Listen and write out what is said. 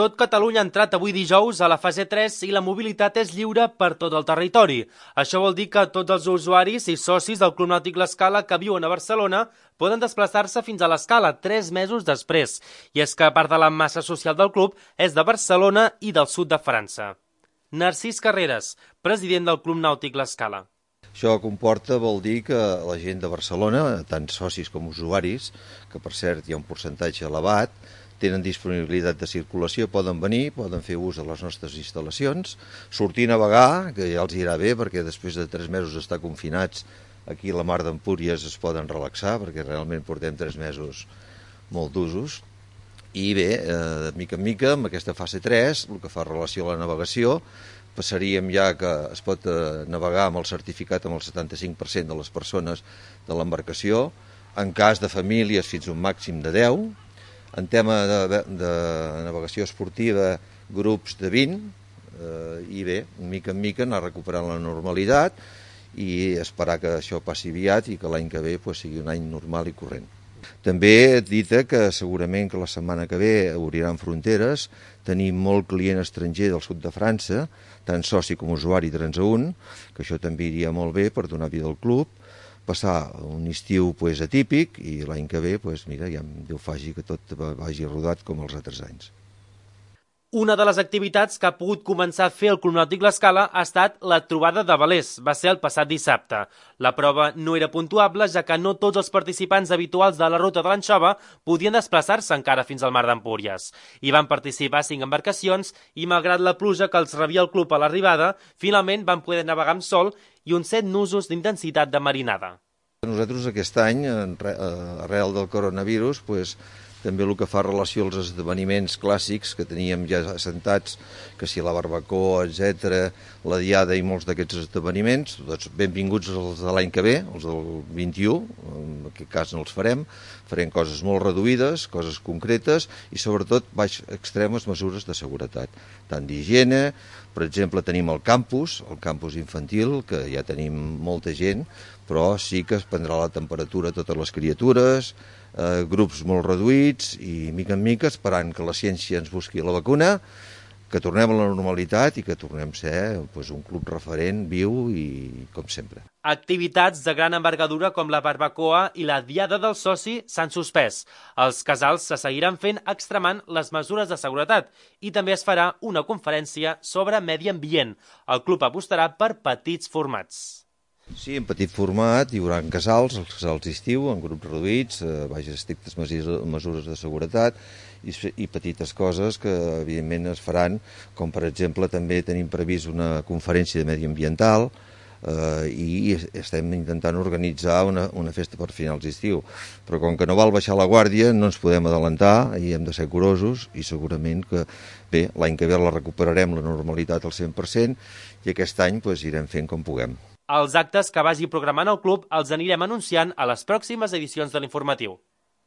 Tot Catalunya ha entrat avui dijous a la fase 3 i la mobilitat és lliure per tot el territori. Això vol dir que tots els usuaris i socis del Club Nàutic L'Escala que viuen a Barcelona poden desplaçar-se fins a l'Escala 3 mesos després. I és que part de la massa social del club és de Barcelona i del sud de França. Narcís Carreras, president del Club Nàutic L'Escala. Això comporta, vol dir que la gent de Barcelona, tant socis com usuaris, que per cert hi ha un percentatge elevat, tenen disponibilitat de circulació, poden venir, poden fer ús de les nostres instal·lacions, sortir a navegar, que ja els irà bé, perquè després de 3 mesos d'estar confinats, aquí a la Mar d'Empúries es poden relaxar, perquè realment portem 3 mesos molt d'usos. I bé, de mica en mica, amb aquesta fase 3, el que fa relació a la navegació, passaríem ja que es pot navegar amb el certificat amb el 75% de les persones de l'embarcació, en cas de famílies fins a un màxim de 10, en tema de navegació esportiva, grups de 20, i bé, mica en mica anar recuperant la normalitat i esperar que això passi aviat i que l'any que ve sigui un any normal i corrent. També dita que segurament que la setmana que ve obriran fronteres, tenim molt client estranger del sud de França, tant soci com usuari transeünt, que això també iria molt bé per donar vida al club, passar un estiu atípic i l'any que ve, mira, ja Déu faci que tot vagi rodat com els altres anys. Una de les activitats que ha pogut començar a fer el Club Nàutic L'Escala ha estat la trobada de velers. Va ser el passat dissabte. La prova no era puntuable, ja que no tots els participants habituals de la ruta de l'Anxova podien desplaçar-se encara fins al Mar d'Empúries. Hi van participar 5 embarcacions i, malgrat la pluja que els rebia el club a l'arribada, finalment van poder navegar amb sol i uns 7 nusos d'intensitat de marinada. Nosaltres aquest any, arrel del coronavirus, també el que fa relació als esdeveniments clàssics que teníem ja assentats, que si la barbacoa, etc., la diada i molts d'aquests esdeveniments, doncs benvinguts els de l'any que ve, els del 21, en aquest cas no els farem coses molt reduïdes, coses concretes i sobretot baix extremes mesures de seguretat, tant d'higiene. Per exemple, tenim el campus infantil, que ja tenim molta gent, però sí que es prendrà la temperatura a totes les criatures, grups molt reduïts i mica en mica esperant que la ciència ens busqui la vacuna, que tornem a la normalitat i que tornem a ser un club referent, viu i com sempre. Activitats de gran envergadura com la barbacoa i la diada del soci s'han suspès. Els casals se seguiran fent extremant les mesures de seguretat i també es farà una conferència sobre medi ambient. El club apostarà per petits formats. Sí, en petit format hi haurà casals, els casals d'estiu, en grups reduïts, estrictes mesures de seguretat i petites coses que evidentment es faran, com per exemple també tenim previst una conferència de mediambiental i estem intentant organitzar una festa per finals d'estiu. Però com que no val baixar la guàrdia, no ens podem adelantar i hem de ser curosos i segurament que bé, l'any que ve la recuperarem la normalitat al 100% i aquest any irem fent com puguem. Els actes que vagi programant el club els anirem anunciant a les pròximes edicions de l'informatiu.